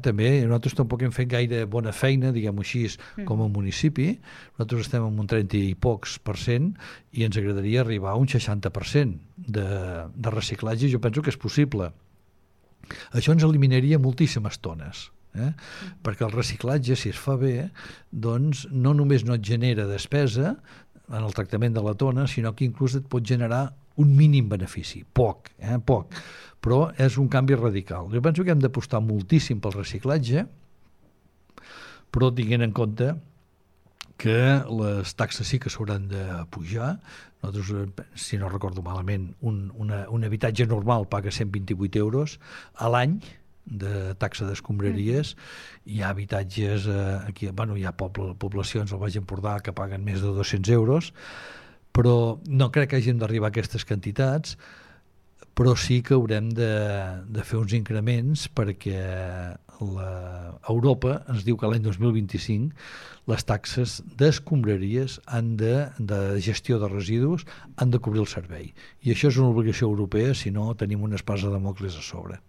També nosaltres tampoc hem fet gaire bona feina, diguem-ho així, com a municipi. Nosaltres estem en un 30 i pocs % i ens agradaria arribar a un 60% de reciclatge. Jo penso que és possible. Això ens eliminaria moltíssimes tones. Perquè el reciclatge, si es fa bé, doncs no només no et genera despesa en el tractament de la tona, sinó que inclús et pot generar un mínim benefici, poc, però és un canvi radical. Jo penso que hem d'apostar moltíssim pel reciclatge, però tinguent en compte que les taxes sí que s'hauran de pujar. Nosaltres, si no recordo malament, un habitatge normal paga 128 euros a l'any de taxa d'escombraries. Hi ha habitatges aquí, hi ha poblacions al Baix Empordà que paguen més de 200 euros, però no crec que hàgim d'arribar a aquestes quantitats, però sí que haurem de fer uns increments perquè Europa ens diu que l'any 2025 les taxes d'escombraries de gestió de residus han de cobrir el servei. I això és una obligació europea, si no tenim una espasa de Dàmocles a sobre.